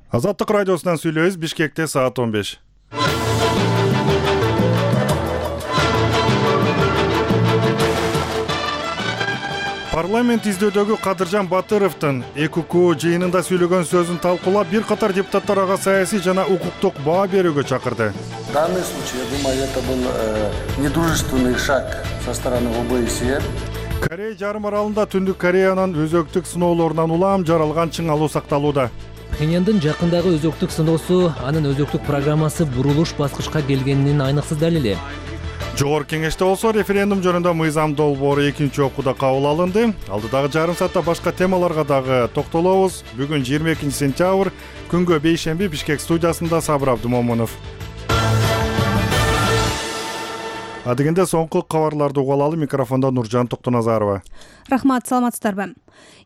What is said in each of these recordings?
Азаттык радиосунан сүйлөйбүз. Бишкекте саат 15. Парламент издөөдөгү Кадыржан Батыровдун ЭКК жыйынында сүйлөгөн сөзүн талкуулап, бир катар депутаттар ага саясий жана укуктук баа берүүгө чакырды. В данном случае, я думаю, это был недружественный шаг со стороны ОБСЕ. Корея жарым аралында Түндүк Кореянын өзөктүк сыноолорунан улам жаралган чың алуу сакталууда. Пхеньяндын жакындагы өзөктүк сыноосу анын өзөктүк программасы бурулуш баскычка келгенин айныксыз далили. Жогорку кеңеште болсо референдум жөнүндө мыйзам долбоору экинчи окууда кабыл алынды. Алдыдагы жарым саатта башка темаларга дагы токтолобуз. Бүгүн 22 сентябрь, күнгө бейшемби, Бишкек студиясында Сабыр Абдымомунов. Адегенде соңку кабарларды угуп алалы. Микрофондо Нуржан Токтоназарова. Рахмат, саламатсыздарбы?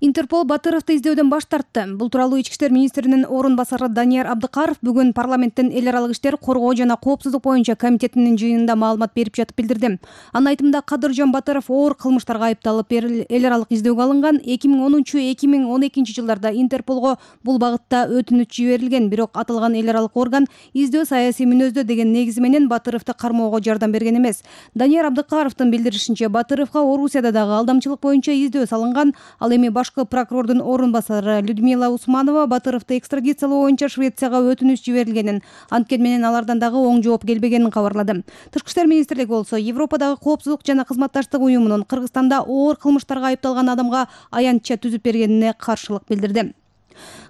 Интерпол Батыровду издөөдөн баш тартты. Бул тууралуу Ички иштер министринин орун басары Данияр Абдыкаров бүгүн парламенттин эл аралык иштер, коргоо жана коопсуздук боюнча комитетинин жыйынында маалымат берип жатып билдирди. Анын айтымында Кадыржан Батыров оор кылмыштарга айыпталып эл аралык издөөгө алынган. 2010-2012 жылдарда Интерполго бул багытта өтүнүч жиберилген, бирок аталган эл аралык орган издөө саясий мүнөздө деген негизи менен Батыровду кармоого жардам берген эмес. Данияр Абдыкаровдун билдиришинче, Батыровго Орусияда дагы алдамчылык боюнча издөө салынган. Ал эми башкы прокурордун орун басары Людмила Усманова Батыровду экстрадициялоо боюнча Швецияга өтүнүч жиберилгенин, анткени менен алардан дагы оң жооп келбегенин кабарлады. Тышкы иштер министрлиги болсо Европадагы коопсуздук жана кызматташтык уюмунун Кыргызстанда оор кылмыштарга айыпталган адамга аянтча түзүп бергенине каршылык билдирди.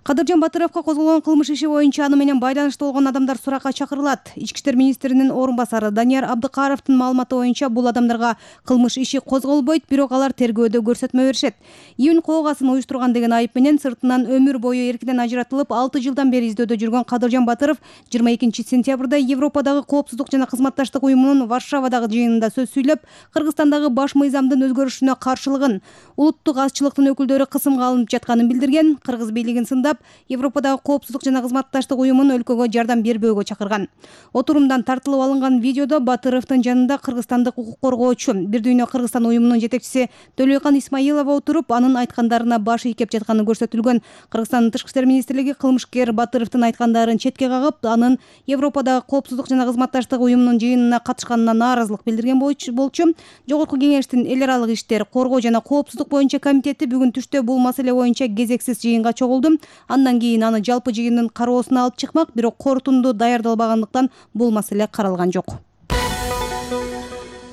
Кадыржан Батыровго козголгон кылмыш иши боюнча аны менен байланыштуу болгон адамдар суракка чакырылат. Ички иштер министринин орун басары Данияр Абдыкаровдун маалыматы боюнча бул адамдарга кылмыш иши козголбойт, бирок алар тергөөдө көрсөтмө беришет. Июнь коогасын уюштурган деген айып менен сыртынан өмүр бою эркинен ажыратылып, 6 жылдан бери издөөдө жүргөн Кадыржан Батыров 22 сентябрда Европадагы коопсуздук жана кызматташтык уюмунун Варшавадагы жыйынында сөз сүйлөп, Кыргызстандагы баш мыйзамдын өзгөрүшүнө каршылыгын, улуттук азчылыктын өкүлдөрү кысымга алынып жатканын билдирген. Кыргыз бийлигин сындап, Европадагы коопсуздук жана кызматташтык уюмун өлкөгө жардам бербөөгө чакырган. Отурумдан тартылып алынган видеодо Батыровдун жанында кыргызстандык укук коргоочу Бир дүйнө Кыргызстан уюмунун жетекчиси Төлөйкан Исмаилова отуруп, анын айткандарына баш ийкеп жатканы көрсөтүлгөн. Кыргызстандын тышкы иштер министрлиги кылмышкер Батыровдун айткандарын четке кагып, анын Европадагы коопсуздук жана кызматташтык уюмунун жыйынына катышканына нааразылык билдирген болчу. Жогорку кеңештин эл аралык иштер, коргоо жана коопсуздук боюнча комитети бүгүн түштө бул маселе боюнча кезексиз жыйынга чогулду. Андан кийин аны жалпы жыйындын кароосуна алып чыкмак, бирок корутунду даярдалбагандыктан бул маселе каралган жок.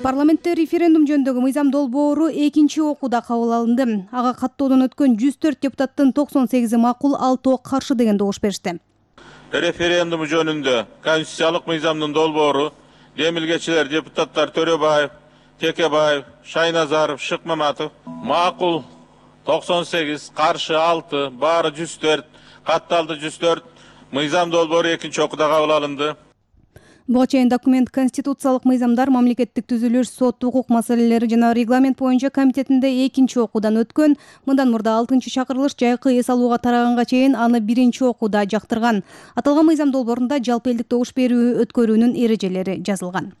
Парламентте референдум жөнүндөгү мыйзам долбоору экинчи окууда кабыл алынды. Ага каттоодон өткөн 104 депутаттын 98 макул, 6 каршы деген добуш беришти. Референдум жөнүндө конституциялык мыйзамдын долбоору демилгечилер депутаттар Төрөбаев, Текебаев, Шайназаров, Шыкмаматов макул 98, каршы 6, баары 104, катталды 104. Мыйзам долбоору экинчи окууда кабыл алынды. Буга чейин документ конституциялык мыйзамдар, мамлекеттик түзүлүш, сот, укук маселелери жана регламент боюнча комитетинде экинчи окуудан өткөн. Мындан мурда 6-чакырылыш жайкы эс алууга тараганга чейин аны биринчи окууда жактырган. Аталган мыйзам долбоорунда жалпы элдик добуш берүү өткөрүүнүн эрежелери жазылган.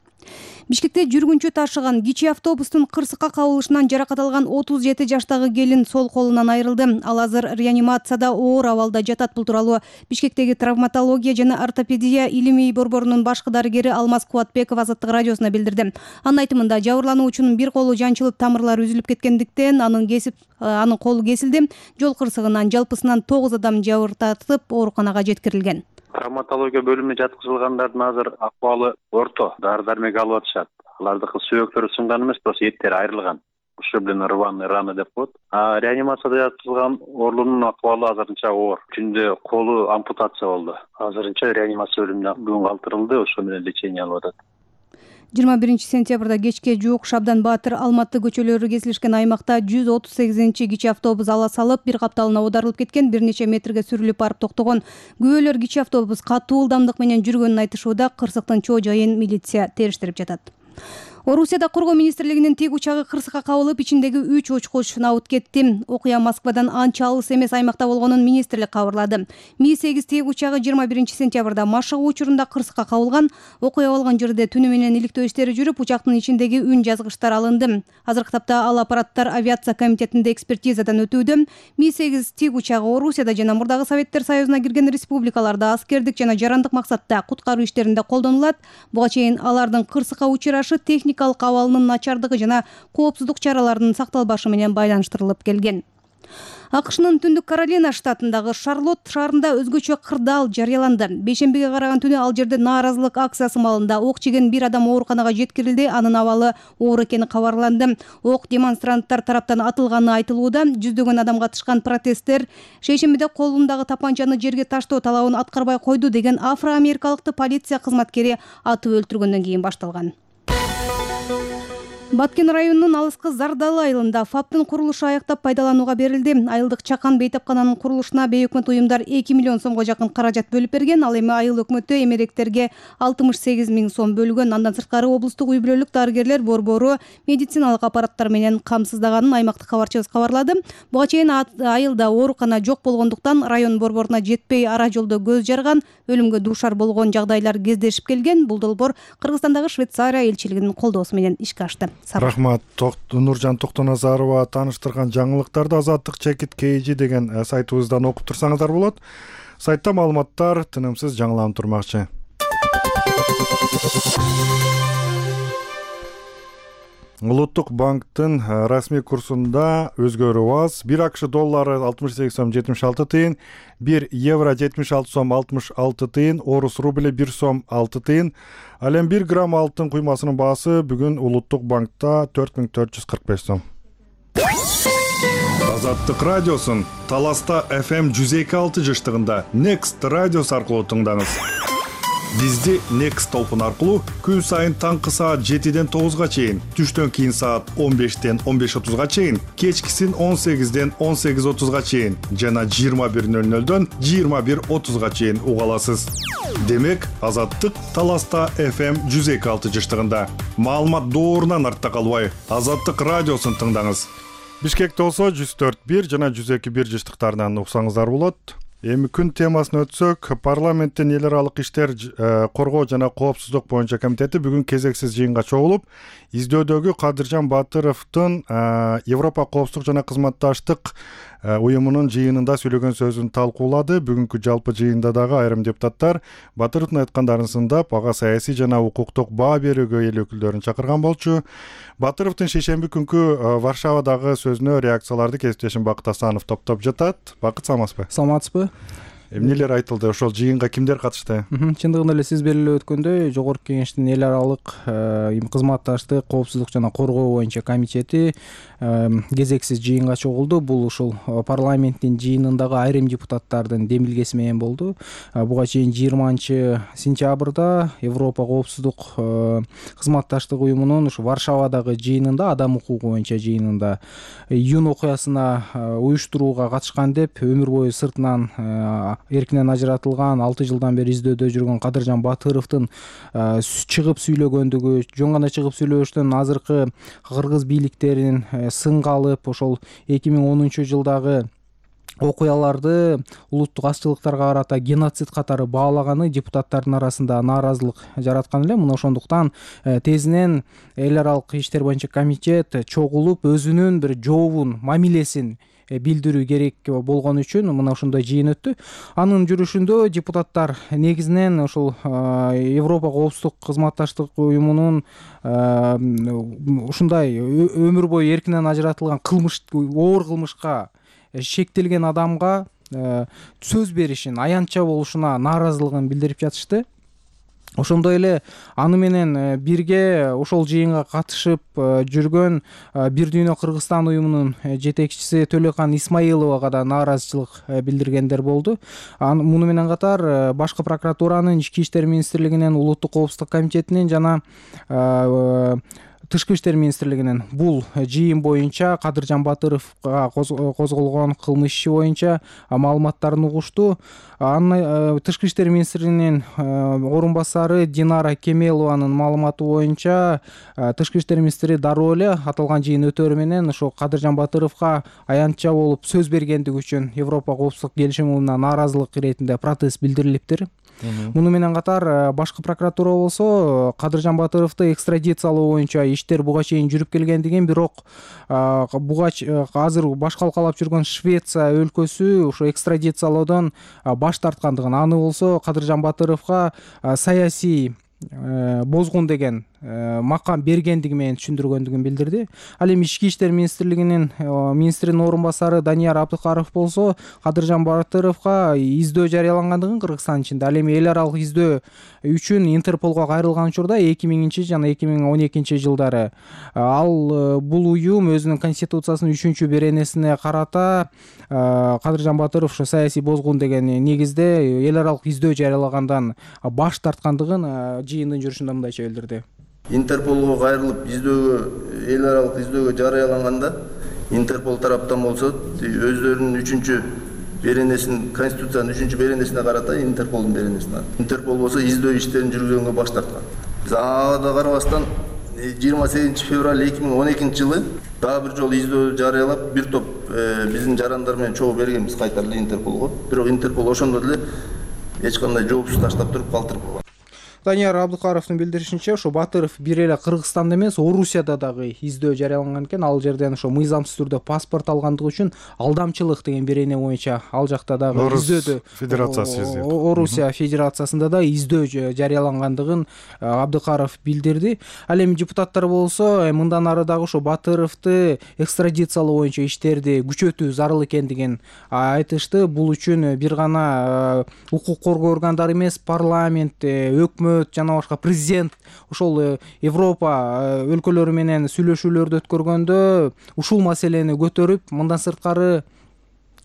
Бишкекте жүргүнчү ташыган кичи автобустун кырсыкка кабылышынан жаракат алган 37 жаштагы келин сол колунан айрылды. Ал азыр реанимацияда оор абалда жатат. Бул тууралуу Бишкектеги травматология жана ортопедия илимий борборунун башкы дарыгери Алмаз Кубатбеков Азаттык радиосуна билдирди. Анын айтымында жабырлануучунун бир колу жанчылып, тамырлары үзүлүп кеткендиктен анын колу кесилди. Жол кырсыгынан жалпысынан 9 адам жабыртатып ооруканага жеткирилген. Травматология бөлүмүнө жаткызылгандардын азыр акыбалы орто, дары-дармек алып атышат. Алардыкы сөөктөрү сынган эмес, просто эттери айрылган. Ушиблен рваный раны деп коет. Реанимацияда жаткызылган оорунун акыбалы азырынча оор. Түндө колу ампутация болду. Азырынча реанимация бөлүмүнө бүгүн калтырылды, ошо менен лечение алып атат. 21 сентябрда кечке жуук Шабдан Баатыр, Алматы көчөлөрү кесилишкен аймакта 138 кичи автобус ала салып, бир капталына оодарылып кеткен, бир нече метрге сүрүлүп барып токтогон. Күбөлөр кичи автобус катуу ылдамдык менен жүргөнүн айтышууда, кырсыктын чоо жайын милиция териштирип жатат. Орусияда коргоо министрлигинин тик учагы кырсыкка кабылып, ичиндеги 3 учкуч набыт кетти. Окуя Москвадан анча алыс эмес аймакта болгонун министрлик кабарлады. Ми-8 тик учагы 21 сентябрда машыгуу учурунда кырсыкка кабылган. Окуя болгон жерде түнү менен иликтөө иштери жүрүп, учактын ичиндеги үн жазгычтар алынды. Азыркы тапта ал аппараттар авиация комитетинде экспертизадан өтүүдө. Ми-8 тик учагы Орусияда жана мурдагы Советтер Союзуна кирген республикаларда аскердик жана жарандык максатта куткаруу иштеринде колдонулат. Буга чейин алардын кырсыкка учурашы техникалык абалынын начардыгы жана коопсуздук чараларынын сакталбашы менен байланыштырылып келген. АКШнын Түндүк Каролина штатындагы Шарлотт шаарында өзгөчө кырдаал жарыяланды. Бейшембиге караган түнү ал жерде нааразылык акциясы маалында ок жеген бир адам ооруканага жеткирилди. Анын абалы оор экени кабарланды. Ок демонстранттар тараптан атылганы айтылууда. Жүздөгөн адам катышкан протесттер шейшембиде колундагы тапанчаны жерге таштоо талабын аткарбай койду деген афро-америкалыкты полиция кызматкери атып өлтүргөндөн кийин башталган. Баткен районунун алыскы Зардалы айылында ФАПтын курулушу аяктап пайдаланууга берилди. Айылдык чакан бейтапкананын курулушуна бейөкмөт уюмдар 2 миллион сомго жакын каражат бөлүп берген. Ал эми айыл өкмөтү эмеректерге 68 миң сом бөлгөн. Андан сырткары облустук үй-бүлөлүк дарыгерлер борбору медициналык аппараттар менен камсыздаганын аймактык кабарчыбыз кабарлады. Буга чейин айылда оорукана жок болгондуктан район борборуна жетпей ара жолдо көз жарган, өлүмгө дуушар болгон жагдайлар кездешип келген. Бул долбоор Кыргызстандагы Швейцария элчилигинин колдоосу менен ишке ашты. Рахмат. Нуржан Токтоназарова тааныштырган жаңылыктарды Азаттык Чекит KG деген сайтыбыздан окуп турсаңыздар болот. Сайтта маалыматтар тынымсыз жаңыланып турмакчы. Улуттук банктын расмий курсунда өзгөрүү аз. 1 АКШ доллары 68 сом 76 тыйын, 1 евро 76 сом 66 тыйын, орус рубли 1 сом 6 тыйын. Ал эми 1 грамм алтын куймасынын баасы бүгүн Улуттук банкта 4445 сом. Азаттык радиосун Таласта FM 102.6 жыштыгында Next радиос аркылуу тыңдаңыз. Бизди Next толкун аркылуу күн сайын таңкы саат 7ден 9га чейин, түштөн кийин саат 15ден 15:30га чейин, кечкисин 18ден 18:30га чейин жана 21:00дөн 21:30га чейин уга аласыз. Демек, Азаттык Таласта FM 102.6 жыштыгында. Маалымат доорунан артта калбай, Азаттык радиосун тыңдаңыз. Бишкекте болсо 104.1 жана 102.1 жыштыктарынан уксаңыздар болот. Эми күн темасын өтсөк, парламенттин эл аралык иштер коргоо жана коопсуздук боюнча комитети бүгүн кезексиз жыйынга чогулуп, издөөдөгү Кадыржан Батыровдун Европа коопсуздук жана кызматташтык уюмунун жыйынында сүйлөгөн сөзүн талкуулады. Бүгүнкү жалпы жыйында дагы айрым депутаттар Батыровдун айткандарын сындап, ага саясий жана укуктук баа берүүгө эл өкүлдөрүн чакырган болчу. Батыровдун шейшемби күнкү Варшавадагы сөзүнө реакцияларды кесиптешим Бакыт Асанов топтоп жатат. Бакыт, саламатсызбы? Саламатсызбы? Эмнелер айтылды? Ошол жыйынга кимдер катышты? Чындыгында эле сиз белгилеп өткөндөй, Жогорку Кеңештин эл аралык кызматташтык, коопсуздук жана коргоо боюнча комитети кезексиз жыйынга чогулду. Бул ушул парламенттин жыйынындагы айрым депутаттардын демилгеси менен болду. Буга чейин 20-сентябрда Европа коопсуздук кызматташтык уюмунун ушу Варшавадагы жыйынында, адам укугу боюнча жыйынында июнь окуясына уюштурууга катышкан деп өмүр бою сыртынан эркинен ажыратылган 6 жылдан бери издөөдө жүргөн Кадыржан Батыровдун чыгып сүйлөгөндүгү, жөн гана чыгып сүйлөштөн азыркы кыргыз бийликтерин сынга алып, ошол 2010-жылдагы окуяларды улуттук азчылыктарга карата геноцид катары баалаганы депутаттардын арасында нааразылык жараткан эле. Мына ошондуктан тезинен эл аралык иштер боюнча комитет чогулуп, өзүнүн бир жообун, мамилесин билдирүү керек болгон үчүн мына ушундай жыйын өттү. Анын жүрүшүндө депутаттар негизинен ошол Европа коопсуздук кызматташтык уюмунун ушундай өмүр бою эркинен ажыратылган кылмыш, оор кылмышка шектелген адамга сөз беришин, аянтча болушуна нааразылыгын билдирип жатышты. Ошондой эле аны менен бирге ошол жыйынга катышып жүргөн Бир Дүйнө Кыргызстан уюмунун жетекчиси Төлөкан Исмаиловага да нааразычылык билдиргендер болду. Муну менен катар башкы прокуратуранын, Ички иштер министрлигинин, Улуттук коопсуздук комитетинин жана Тышкы иштер министрлигинин бул жыйын боюнча Кадыржан Батыровго козголгон кылмыш иши боюнча маалыматтарын угушту. Тышкы иштер министринин орун басары Динара Кемелованын маалыматы боюнча тышкы иштер министри дароо эле аталган жыйын өтөөрү менен ошо Кадыржан Батыровго аянтча болуп сөз бергендиги үчүн Европа коопсуздук келишимине нааразылык иретинде протест билдирилиптир. Муну менен катар башкы прокуратура болсо Кадыржан Батыровду экстрадициялоо боюнча иштер буга чейин жүрүп келгендигин, бирок буга азыр баш калкалап жүргөн Швеция өлкөсү ошо экстрадициялоодон баш тарткандыгын, аны болсо Кадыржан Батыровго саясий бозгун деген макам бергендиги менен түшүндүргөндүгүн билдирди. Ал эми Ички иштер министринин орун басары Данияр Абдыкаров болсо Кадыржан Батыровго издөө жарыялангандыгын Кыргызстан ичинде, ал эми эл аралык издөө үчүн Интерполго кайрылган учурда 2000 жана 2012 жылдары ал бул уюм өзүнүн конституциясынын 3 беренесине карата Кадыржан Батыров ошо саясий бозгун деген негизде эл аралык издөө жарыялагандан баш тарткандыгын жыйындын жүрүшүндө мындайча билдирди. Интерполго кайрылып эл аралык издөөгө жарыяланганда Интерпол тараптан болсо өздөрүнүн 3 беренесин, конституциянын 3 беренесине карата Интерполдун беренесине. Интерпол болсо издөө иштерин жүргүзгөнгө баш тарткан. Ага да карабастан 28 февраль 2012 жылы дагы бир жолу издөө жарыялап, бир топ биздин жарандар менен чогуу бергенбиз кайта эле Интерполго. Бирок Интерпол ошондо деле эч кандай жоопсуз таштап туруп калтырып койгон. Данияр Абдыкаровдун билдиришинче, ошо Батыров бир эле Кыргызстанда эмес, Орусияда дагы издөө жарыяланган экен. Ал жерден ошо мыйзамсыз түрдө паспорт алгандыгы үчүн алдамчылык деген берене боюнча ал жакта дагы издөөдө Федерациясы Орусия Федерациясында да издөө жарыялангандыгын Абдыкаров билдирди. Ал эми депутаттар болсо мындан ары дагы ошо Батыровду экстрадициялоо боюнча иштерди күчөтүү зарыл экендигин айтышты. Бул үчүн бир гана укук коргоо органдары эмес, парламент, өкмөт жана башка президент ошол Европа өлкөлөрү менен сүйлөшүүлөрдү өткөргөндө ушул маселени көтөрүп, мындан сырткары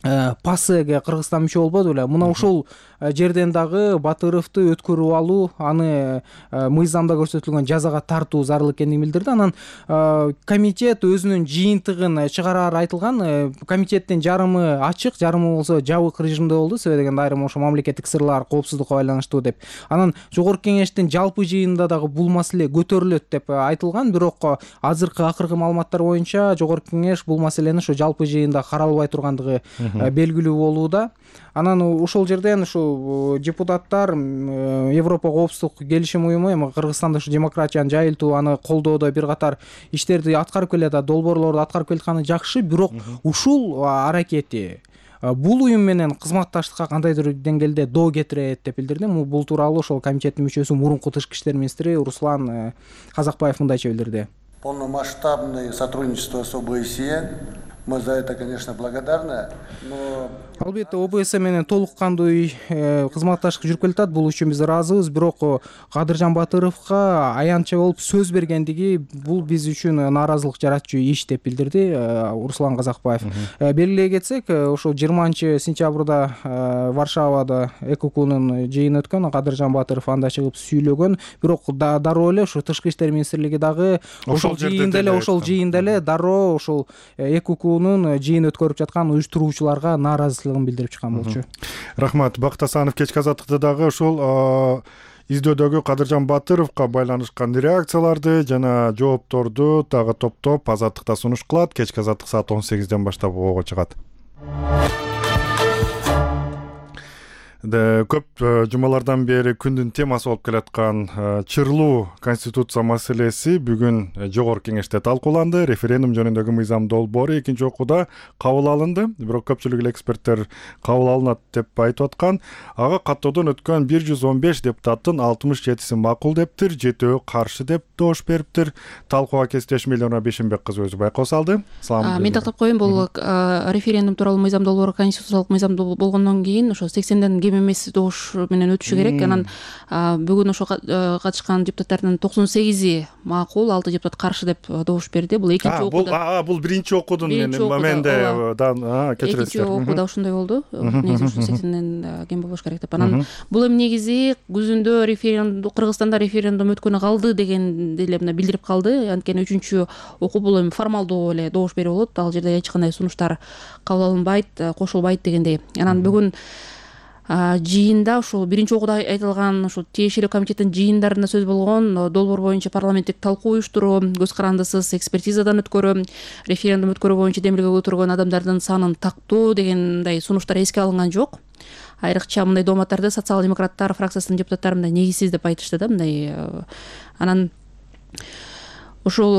ПАСЭге Кыргызстан мүчө болбоду беле. Мына ушул жерден дагы Батыровду өткөрүп алуу, аны мыйзамда көрсөтүлгөн жазага тартуу зарыл экендигин билдирди. Анан комитет өзүнүн жыйынтыгын чыгарары айтылган. Комитеттин жарымы ачык, жарымы болсо жабык режимде болду. Себеби дегенде айрым ошо мамлекеттик сырлар коопсуздукка байланыштуу деп. Анан жогорку кеңештин жалпы жыйынында дагы бул маселе көтөрүлөт деп айтылган. Бирок акыркы маалыматтар боюнча жогорку кеңеш бул маселени ошо жалпы жыйында каралбай тургандыгы белгилүү болууда. Анан ошол жерден ушу депутаттар Европа коопсуздук келишим уюму эми Кыргызстанда ушу демократияны жайылтуу, аны колдоодо бир катар иштерди аткарып келет, долбоорлорду аткарып келатканы жакшы, бирок ушул аракети бул уюм менен кызматташтыкка кандайдыр деңгээлде доо кетирет деп билдирди. Бул тууралуу ошол комитеттин мүчөсү мурунку тышкы иштер министри Руслан Казакбаев мындайча билдирди. Полномасштабное сотрудничество с ОБСЕ. Мы за это, конечно, благодарны, но Албетте ОБСЕ менен толук кандуу кызматташтык жүрүп келатат. Бул үчүн биз ыраазыбыз. Бирок Кадыржан Батыровго аянтча болуп сөз бергендиги бул биз үчүн нааразылык жаратчу иш деп билдирди Руслан Казакбаев. Белгилей кетсек, ошо 20-сентябрда Варшавада ЭККнун жыйыны өткөн. Кадыржан Батыров анда чыгып сүйлөгөн. Бирок дароо эле ошо Тышкы иштер министрлиги дагы ошол жыйында эле дароо ошол ЭККнун жыйын өткөрүп жаткан уюштуруучуларга нааразычылыгын билдирип чыккан болчу. Рахмат. Бакыт Асанов кечки азаттыкта дагы ошол издөдөгү Кадыржан Батыровго байланышкан реакцияларды жана жоопторду дагы топтоп азаттыкта сунуш кылат. Кечки азаттык саат 18ден баштап ого чыгат. Көп жумалардан бери күндүн темасы болуп келаткан чырлуу конституция маселеси бүгүн жогорку кеңеште талкууланды. Референдум жөнүндөгү мыйзам долбоору экинчи окууда кабыл алынды. Бирок көпчүлүк эле эксперттер кабыл алынат деп айтып аткан. Ага каттоодон өткөн 115 депутаттын 67си макул дептир, 7-өө каршы деп доош бериптир. Талкууга кесиптешим Элнура Бешенбек кызы өзү байкоо салды. Мен тактап коеюн, бул референдум тууралуу мыйзам долбоору конституциялык мыйзам болгондон кийин ошо 80ден кем эмес добуш менен өтүшү керек. Анан бүгүн ошо катышкан депутаттардын 98 макул, 6 депутат каршы деп добуш берди. Бул экинчи окууда. Бул биринчи окуудун моментинде экинчи окууда ошондой болду. Негизи ушул 80ден кем болбош керек деп. Анан бул эми негизи күзүндө референдум, Кыргызстанда референдум өткөнү калды дегенди эле мына билдирип калды. Анткени үчүнчү окуу бул эми формалдуу эле добуш берүү болот. Ал жерде эч кандай сунуштар кабыл алынбайт, кошулбайт дегендей. Анан бүгүн жыйында ушул биринчи окууда айтылган ушул тиешелүү комитеттин жыйындарында сөз болгон долбоор боюнча парламенттик талкуу уюштуруу, көз карандысыз экспертизадан өткөрүү, референдум өткөрүү боюнча демилге көтөргөн адамдардын санын тактоо дегендей сунуштар эске алынган жок. Айрыкча мындай дооматтарды социал-демократтар фракциясынын депутаттары мындай негизсиз деп айтышты да, мындай. Анан ушул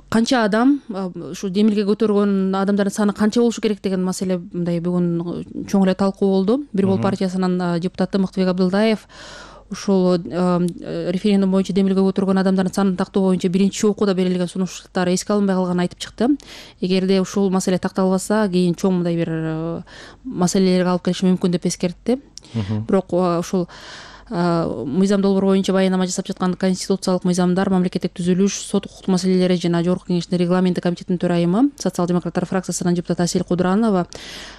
канча адам, ушу демилге көтөргөн адамдардын саны канча болушу керек деген маселе мындай бүгүн чоң эле талкуу болду. Бир Бол партиясынын депутаты Мыктыбек Абдылдаев ушул референдум боюнча демилге көтөргөн адамдардын санын тактоо боюнча биринчи окууда берилген сунуштар эске алынбай калганын айтып чыкты. Эгерде ушул маселе такталбаса, кийин чоң мындай бир маселелерге алып келиши мүмкүн деп эскертти. Бирок ушул мыйзам долбоор боюнча баянама жасап жаткан конституциялык мыйзамдар, мамлекеттик түзүлүш, сот укуктук маселелери жана Жогорку Кеңештин регламенти комитетинин төрайымы, социал-демократтар фракциясынын депутаты Асель Кудуранова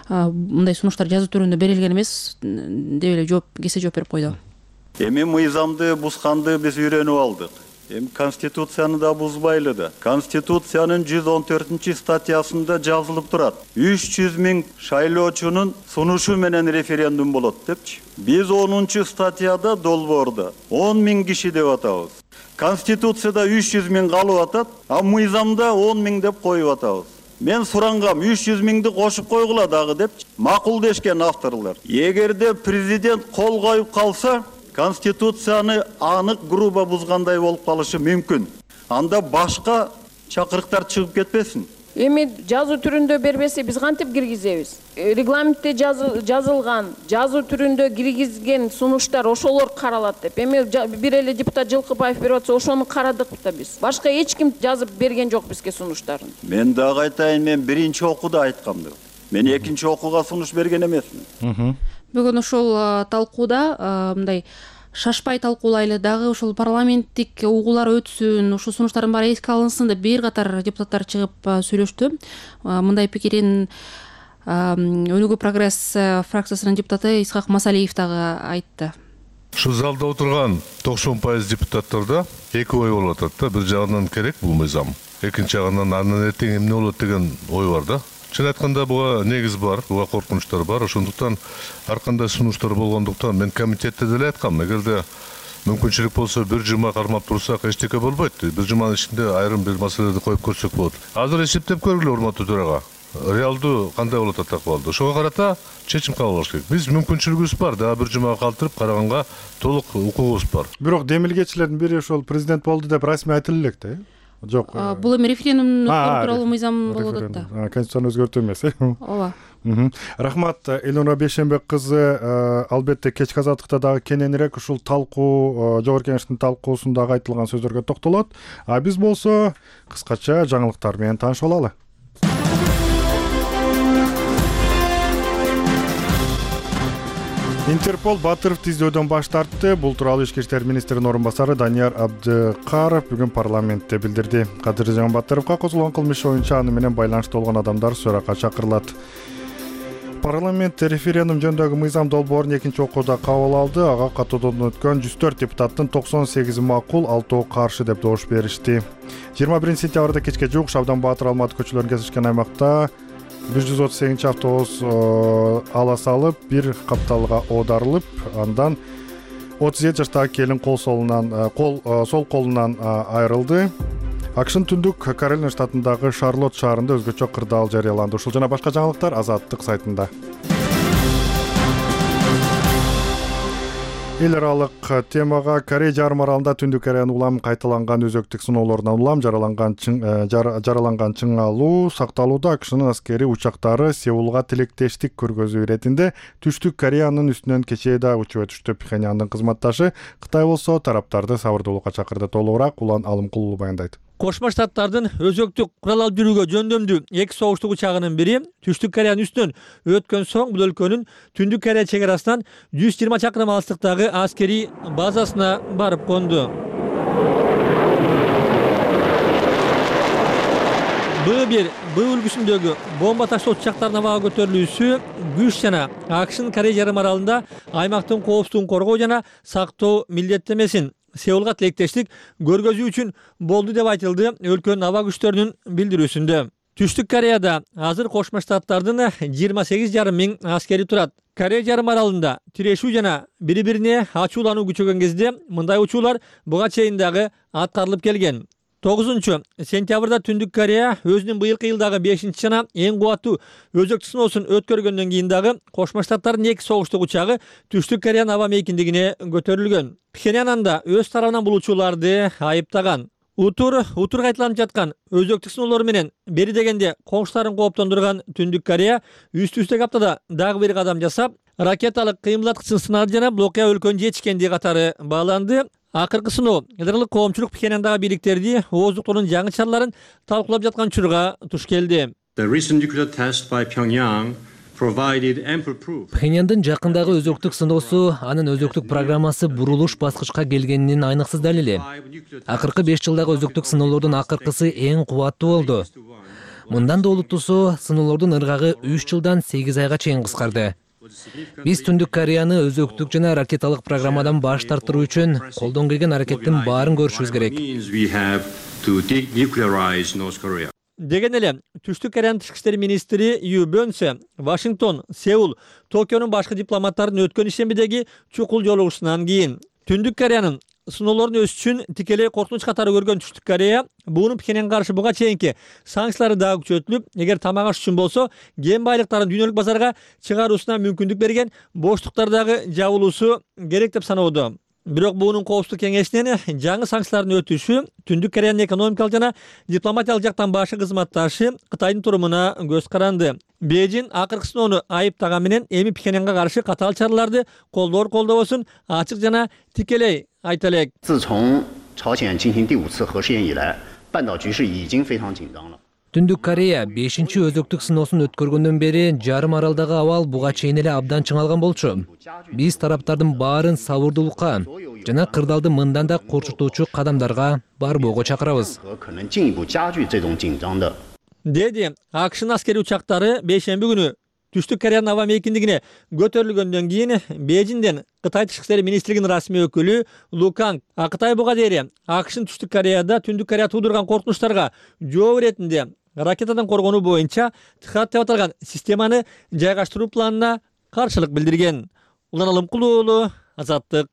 мындай сунуштар жазуу түрүндө берилген эмес деп эле кесе жооп берип койду. Эми мыйзамды бузганды биз үйрөнүп алдык. Эми Конституцияны да бузбайлы да. Конституциянын 114 статьясында жазылып турат. 300 000 шайлоочунун сунушу менен референдум болот депчи. Биз 10 статьяда долбоордо 10 000 киши деп атабыз. Конституцияда 300 000 калып атат, а мыйзамда 10 000 деп коюп атабыз. Мен сурангам 300 000ди кошуп койгула дагы депчи. Макул дешкен авторлор. Эгерде президент кол коюп калса, Конституцияны анык грубо бузгандай болуп калышы мүмкүн. Анда башка чакырыктар чыгып кетпесин. Эми жазуу түрүндө бербесе биз кантип киргизебиз? Регламентте жазылган, жазуу түрүндө киргизген сунуштар ошолор каралат деп. Эми бир эле депутат Жылкыбаев берип атса, ошону карадык да биз. Башка эч ким жазып берген жок бизге сунуштарын. Мен дагы айтайын, мен биринчи окууда айткам деп. Мен экинчи окууга сунуш берген эмесмин. Бүгүн ушул талкууда мындай шашпай талкуулайлы, дагы ушул парламенттик угуулар өтсүн, ушул сунуштардын баары эске алынсын деп бир катар депутаттар чыгып сүйлөштү. Мындай пикирин Өнүгүү прогресс фракциясынын депутаты Исхак Масалиев дагы айтты. Ушул залда отурган 90% депутаттарда эки ой болуп атат да. Бир жагынан керек бул мыйзам, экинчи жагынан андан эртең эмне болот деген ой бар да. Чын айтканда буга негиз бар, буга коркунучтар бар. Ошондуктан ар кандай сунуштар болгондуктан мен комитетте деле айткам, эгерде мүмкүнчүлүк болсо бир жума кармап турсак эчтеке болбойт. Бир жуманын ичинде айрым бир маселелерди коюп көрсөк болот. Азыр эсептеп көргүлө, урматтуу төрага. Реалдуу кандай болот атак болду. Ошого карата чечим кабыл алыш керек. Биз мүмкүнчүлүгүбүз бар, дагы бир жумага калтырып караганга толук укугубуз бар. Бирок демилгечилердин бири ошол президент болду деп расмий айтылып элек да. Жок. Бул эми референдум тууралуу мыйзам болуп атат да. Конституцияны өзгөртүү эмес. Ооба. Рахмат, Элнура Бейшенбек кызы. Албетте кечки азаттыкта дагы кененирээк ушул талкуу, Жогорку Кеңештин талкуусундагы айтылган сөздөргө токтолот. А биз болсо кыскача жаңылыктар менен таанышып алалы. Интерпол Батыровду издөөдөн баш тартты. Бул тууралуу Ички иштер министринин орун басары Данияр Абдыкаров бүгүн парламентте билдирди. Кадыржан Батыровго козголгон кылмыш боюнча аны менен байланышта болгон адамдар суракка чакырылат. Парламент референдум жөнүндөгү мыйзам долбоорун экинчи окууда кабыл алды. Ага катуудон өткөн 104 депутаттын 98 макул, 6 каршы деп добуш беришти. 21 сентябрда кечке жуук Шабдан Баатыр Алматы көчөлөрүн кесишкен аймакта 138 автобус ала салып, бир капталга оодарылып, андан 37 жаштагы келин сол колунан айрылды. АКШнын түндүк Каролина штатындагы Шарлотт шаарында өзгөчө кырдаал жарыяланды. Ушул жана башка жаңылыктар Азаттык сайтында. Эл аралык темага Корей жарым аралында Түндүк Кореянын улам кайталанган өзөктүк сыноолорунан улам жараланган чыңалуу сакталууда. АКШнын аскери учактары Сеулга тилектештик көргөзүү иретинде Түштүк Кореянын үстүнөн кечээ да учуп өтүштү. Пхеньяндын кызматташы Кытай болсо тараптарды сабырдуулукка чакырды. Толугураак Улан Алымкулуу баяндайт. Кошмо Штаттардын өзөктүк курал алып жүрүүгө жөндөмдүү эки согуштук учагынын бири Түштүк Кореянын үстүнөн өткөн соң бул өлкөнүн Түндүк Корея чек арасынан 120 чакырым алыстыктагы аскерий базасына барып конду. Б1 Б үлгүсүндөгү бомба таштоочу учактардын абага көтөрүлүүсү күч жана АКШнын Корея жарым аралында аймактын коопсуздугун коргоо жана сактоо милдеттемесин Сеулга тилектештик көргөзүү үчүн болду деп айтылды өлкөнүн аба күчтөрүнүн билдирүүсүндө. Түштүк Кореяда азыр Кошмо Штаттардын 28,5 миң аскери турат. Корея жарым аралында тирешүү жана бири-бирине ачуулануу күчөгөн кезде мындай учуулар буга чейин дагы аткарылып келген. 9-сентябрда Түндүк Корея өзүнүн быйылкы жылдагы 5 жана эң кубаттуу өзөктүк сыноосун өткөргөндөн кийин дагы Кошмо Штаттардын эки согуштук учагы Түштүк Кореянын аба мейкиндигине көтөрүлгөн. Пхеньян анда өз тарабынан бул учууларды айыптаган. Утур кайталанып жаткан өзөктүк сыноолору менен бери дегенде коңшуларын кооптондурган Түндүк Корея үстү-үстүгө аптада дагы бир кадам жасап, ракеталык кыймылдаткычын сынады жана бул окуя өлкөнүн жетишкендиги катары бааланды. Акыркы сыноо эл аралык коомчулук Пхеньяндагы бийликтерди ооздуктугунун жаңы чараларын талкуулап жаткан учурга туш келди. Пхеньяндын жакындагы өзөктүк сыноосу анын өзөктүк программасы бурулуш баскычка келгенинин айныксыз далили. Акыркы 5 жылдагы өзөктүк сыноолордун акыркысы эң кубаттуу болду. Мындан да олуттуусу сыноолордун ыргагы 3 жылдан 8 айга чейин кыскарды. Биз Түндүк Кореяны өзөктүк жана ракеталык программадан баш тартыруу үчүн колдон келген аракеттин баарын көрүшүбүз керек. Деген эле Түштүк Кореянын тышкы иштер министри Ю Бönse Вашингтон, Сеул, Токионун башкы дипломаттарын өткөн ишембидеги чукул жолугушуунан кийин Түндүк Кореянын сыноолорун өз үчүн тикелей коркунуч катары көргөн Түштүк Корея буунун Пхеньянга каршы буга чейинки санкциялары дагы күчөтүлүп, эгер тамак аш үчүн болсо, кен байлыктарын дүйнөлүк базарга чыгаруусуна мүмкүндүк берген боштуктар дагы жабылуусу керек деп саноодо. Бирок буунун коопсуздук кеңешинен жаңы санкциялардын өтүшү Түндүк Кореянын экономикалык жана дипломатиялык жактан башкы кызматташы Кытайдын турумуна көз каранды. Бейжин акыркы сыноону айыптаган менен эми Пхеньянга каршы катаал чараларды колдобосун ачык жана тикелей айта элек. Түндүк Корея 5-чи өзөктүк сыноосун өткөргөндөн бери жарым аралдагы абал буга чейин эле абдан чыңалган болчу. Биз тараптардын баарын сабырдуулукка жана кырдаалды мындан да корчутуучу кадамдарга барбоого чакырабыз. Деди АКШнын аскери учактары бейшемби күнү Түштүк Кореянын аба мейкиндигине көтөрүлгөндөн кийин Бейжиңден Кытай тышкы иштер министрлигинин расмий өкүлү Лу Канг Кытай буга дейри АКШнын Түштүк Кореяда Түндүк Корея туудурган коркунучтарга жооп иретинде ракетадан коргонуу боюнча ТХАТ деп аталган системаны жайгаштыруу планына каршылык билдирген. Улан Алымкулуу уулу, Азаттык.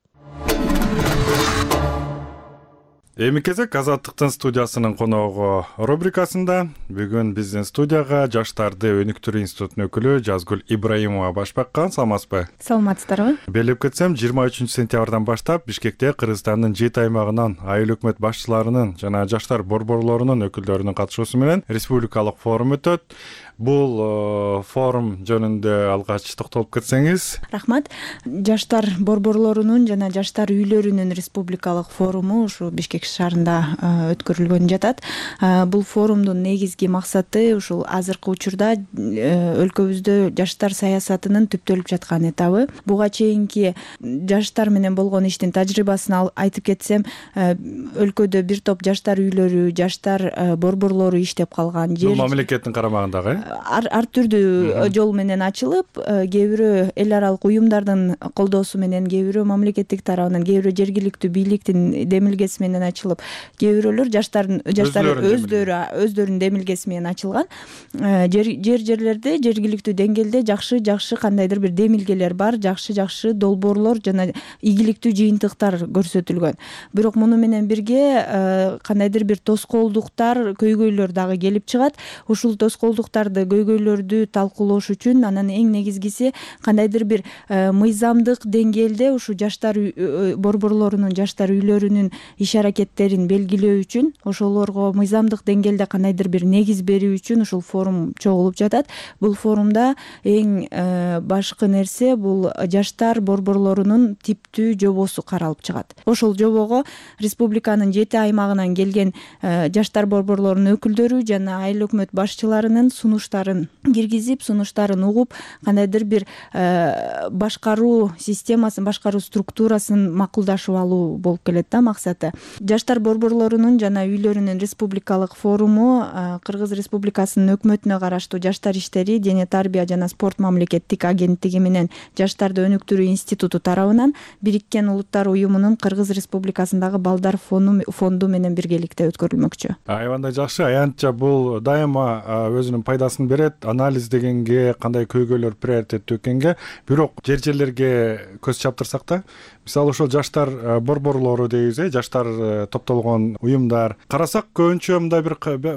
Эми кезек Азаттыктын студиясынын коногу рубрикасында бүгүн биздин студияга Жаштарды өнүктүрүү институтунун өкүлү Жазгүл Ибраимова баш баккан. Саламатсызбы? Саламатсыздарбы? Белип кетсем, 23-сентябрдан баштап Бишкекте Кыргызстандын 7 аймагынан айыл өкмөт башчыларынын жана жаштар борборлорунун өкүлдөрүнүн катышуусу менен республикалык форум өтөт. Бул форум жөнүндө алгач токтолуп кетсеңиз. Рахмат. Жаштар борборлорунун жана жаштар үйлөрүнүн республикалык форуму ушу Бишкек шаарында өткөрүлгөн жатат. Бул форумдун негизги максаты ушул азыркы учурда өлкөбүздө жаштар саясатынын түптөлүп жаткан этабы. Буга чейинки жаштар менен болгон иштин тажрыйбасын айтып кетсем, өлкөдө бир топ жаштар үйлөрү, жаштар борборлору иштеп калган. Бул мамлекеттин карамагындагы ар түрдүү жол менен ачылып, кээ бирөө эл аралык уюмдардын колдоосу менен, кээ бирөө мамлекеттик тарабынан, кээ бирөө жергиликтүү бийликтин демилгеси менен ачылып, кээ бирөөлөр жаштар өздөрүнүн демилгеси менен ачылган. Жерлерде, жергиликтүү деңгээлде жакшы кандайдыр бир демилгелер бар, жакшы долбоорлор жана ийгиликтүү жыйынтыктар көрсөтүлгөн. Бирок муну менен бирге кандайдыр бир тоскоолдуктар, көйгөйлөр дагы келип чыгат. Ушул тоскоолдуктарды жаштарды көйгөйлөрдү талкуулош үчүн анан эң негизгиси кандайдыр бир мыйзамдык деңгээлде ушу жаштар борборлорунун жаштар үйлөрүнүн иш аракеттерин белгилөө үчүн ошолорго мыйзамдык деңгээлде кандайдыр бир негиз берүү үчүн ушул форум чогулуп жатат. Бул форумда эң башкы нерсе бул жаштар борборлорунун типтүү жобосу каралып чыгат. Ошол жобого республиканын 7 аймагынан келген жаштар борборлорунун өкүлдөрү жана айыл өкмөт башчыларынын сунуштарын киргизип, сунуштарын угуп, кандайдыр бир башкаруу системасын, башкаруу структурасын макулдашып алуу болуп келет да максаты. Жаштар борборлорунун жана үйлөрүнүн республикалык форуму Кыргыз Республикасынын өкмөтүнө караштуу Жаштар иштери, дене тарбия жана спорт мамлекеттик агенттиги менен Жаштарды өнүктүрүү институту тарабынан Бириккен Улуттар уюмунун Кыргыз Республикасындагы балдар фонду менен биргеликте өткөрүлмөкчү. Аябандай жакшы. Аянтча бул дайыма өзүнүн пайдасын берет. Анализ дегенге, кандай көйгөйлөр приоритеттүү экенге, бирок жер-жерлерге көз чаптырсак да, мисалы ошол жаштар борборлору дейбиз, жаштар топтолгон уюмдар карасак көбүнчө мындай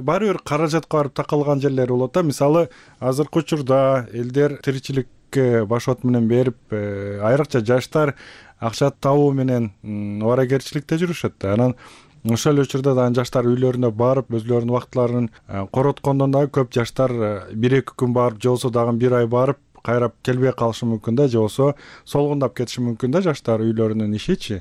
баары бир каражатка барып такалган жерлери болот да. Мисалы азыркы учурда элдер тиричиликке башот менен берип, айрыкча жаштар акча табуу менен абаракерчиликте жүрүшөт да. Анан ошол учурда да жаштар үйлөрүнө барып өзлөрүнүн убактыларын короткондон дагы көп жаштар 1-2 күн барып, же болбосо дагы 1 ай барып кайрап келбей калышы мүмкүн да, же болбосо солгундап кетиши мүмкүн да жаштар үйлөрүнүн ишичи.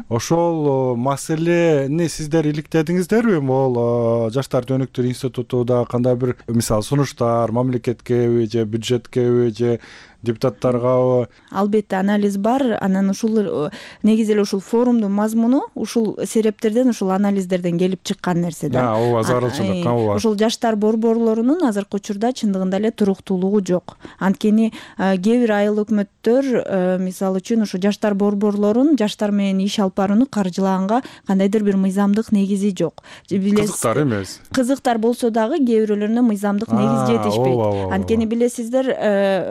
Ошол маселени сиздер иликтедиңиздерби? Могул жаштарды өнүктүрүү институтуда кандай бир мисалы сунуштар мамлекеткеби же бюджеткеби же депутаттаргабы? Албетте анализ бар. Анан ушул негизи эле ушул форумдун мазмуну ушул себептерден, ушул анализдерден келип чыккан нерсе да. Ооба, зарылчылык, ооба. Ушул жаштар борборлорунун азыркы учурда чындыгында эле туруктуулугу жок. Анткени кээ бир айыл өкмөттөр мисалы үчүн ушу жаштар борборлорун жаштар менен иш алып барууну каржылаганга кандайдыр бир мыйзамдык негизи жок. Кызыктар эмес. Кызыктар болсо дагы кээ бирөөлөрүнө мыйзамдык негиз жетишпейт. Анткени билесиздер,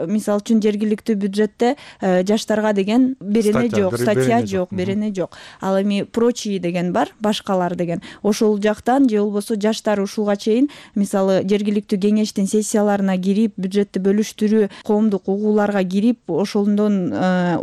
мисалы үчүн жергиликтүү бюджетте жаштарга деген берене жок, статья жок, берене жок. Ал эми прочие деген бар, башкалар деген. Ошол жактан же болбосо жаштар ушулга чейин мисалы жергиликтүү кеңештин сессияларына кирип, бюджетти бөлүштүрүү, коомдук угууларга кирип, ошондон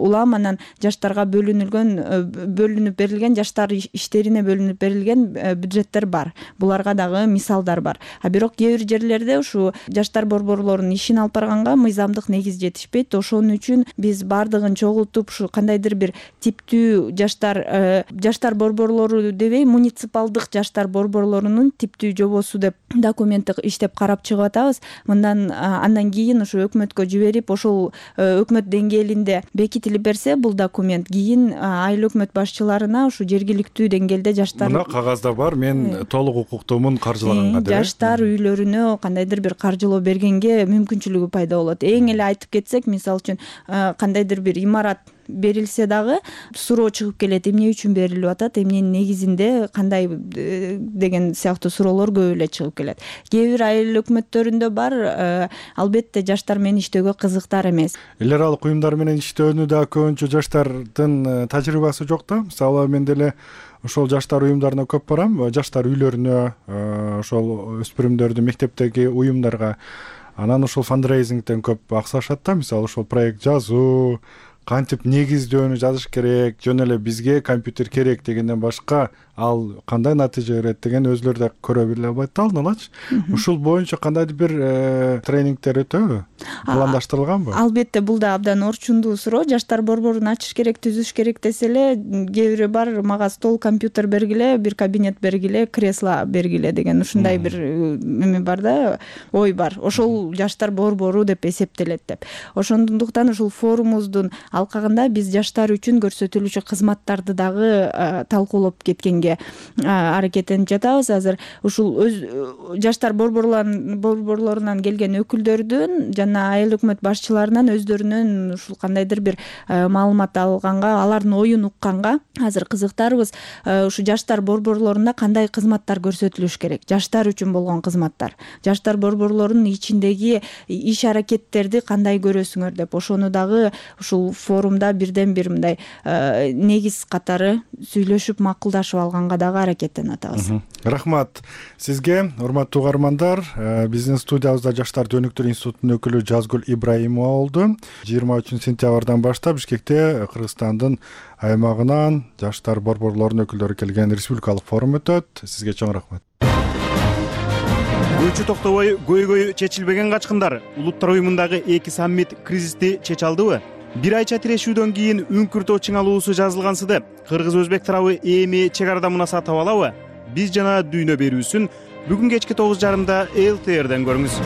улам анан жаштарга бөлүнүп берилген жаштар иштерине бөлүнүп берилген бюджеттер бар. Буларга дагы мисалдар бар. А бирок кээ бир жерлерде ушу жаштар борборлорунун ишин алып барганга мыйзамдык негиз жетишпейт. Ошон үчүн биз бардыгын чогултуп ушу кандайдыр бир типтүү жаштар борборлору дебей, муниципалдык жаштар борборлорунун типтүү жобосу деп документти иштеп карап чыгып атабыз. Андан кийин ушу өкмөткө жиберип, ошол өкмөт деңгээлинде бекитилип берсе бул документ, кийин айыл өкмөт башчыларына ушу жергиликтүү деңгээлде жаштар мына кагазда бар, мен толук укуктуумун каржылаганга деп жаштар үйлөрүнө кандайдыр бир каржылоо бергенге мүмкүнчүлүгү пайда болот. Эң эле айтып кетсек, мисалы үчүн кандайдыр бир имарат берилсе дагы суроо чыгып келет, эмне үчүн берилип атат, эмненин негизинде, кандай деген сыяктуу суроолор көп эле чыгып келет. Кээ бир айыл өкмөттөрүндө бар, албетте жаштар менен иштөөгө кызыктар эмес. Эл аралык уюмдар менен иштөөнү да көбүнчө жаштардын тажрыйбасы жок да. Мисалы мен деле ошол жаштар уюмдарына көп барам, жаштар үйлөрүнө, ошол өспүрүмдөрдү мектептеги уюмдарга. Анан ошол фандрейзингден көп аксашат да. Мисалы ошол проект жазуу, кантип негиздөөнү жазыш керек, жөн эле бизге компьютер керек дегенден башка ал кандай натыйжа берет деген өзлөрү да көрө биле албайт да алдын алачы. Ушул боюнча кандайдыр бир тренингдер өтөбү? Пландаштырылганбы? Албетте, бул да абдан орчундуу суроо. Жаштар борборун ачыш керек, түзүш керек десе эле, кээ бири бар, мага стол, компьютер бергиле, бир кабинет бергиле, кресло бергиле деген ушундай бир эме бар да, ой бар. Ошол жаштар борбору деп эсептелет деп. Ошондуктан ушул форумубуздун алкагында биз жаштар үчүн көрсөтүлүүчү кызматтарды дагы талкуулап кеткенге аракеттенип жатабыз. Азыр ушул жаштар борборлорунан келген өкүлдөрдүн жана айыл өкмөт башчыларынан өздөрүнөн ушул кандайдыр бир маалымат алганга, алардын оюн укканга азыр кызыктарбыз. Ушу жаштар борборлорунда кандай кызматтар көрсөтүлүш керек? Жаштар үчүн болгон кызматтар. Жаштар борборлорунун ичиндеги иш аракеттерди кандай көрөсүңөр деп, ошону дагы ушул форумда бирден бир мындай негиз катары сүйлөшүп макулдашып алган алганга дагы аракеттенип атабыз. Рахмат сизге, урматтуу угармандар. Биздин студиябызда Жаштарды өнүктүрүү институтунун өкүлү Жазгүл Ибраимова болду. 23-сентябрдан баштап Бишкекте Кыргызстандын аймагынан жаштар борборлорунун өкүлдөрү келген республикалык форум өтөт. Сизге чоң рахмат. Көчү токтобой көйгөй чечилбеген качкындар. Улуттар уюмундагы 2 саммит кризисти чече алдыбы? Бир айча тирешүүдөн кийин үңкүртөө чыңалуусу жазылгансыды. Кыргыз-өзбек тарабы эми чек арада мунасаат таба алабы? Биз жана дүйнө берүүсүн бүгүн кечки 9:30 ЛТРден көрүңүз.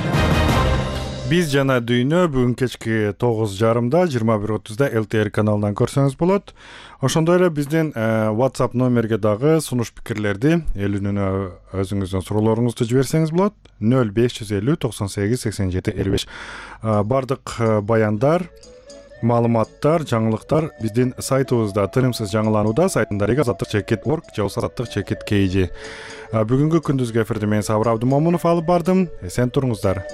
Биз жана дүйнө бүгүн кечки 9:30 21:30 ЛТР каналынан көрсөңүз болот. Ошондой эле биздин WhatsApp номерге дагы сунуш пикирлерди, эл үнүнө өзүңүздүн суроолоруңузду жиберсеңиз болот. 0550 98 87 55. Бардык баяндар, маалыматтар, жаңылыктар биздин сайтыбызда тынымсыз жаңыланууда, сайтында azаттык.org же azаттык.kg. Бүгүнкү күндүзгү эфирди мен Сабыр Абдымомунов алып бардым. Эсен туруңуздар.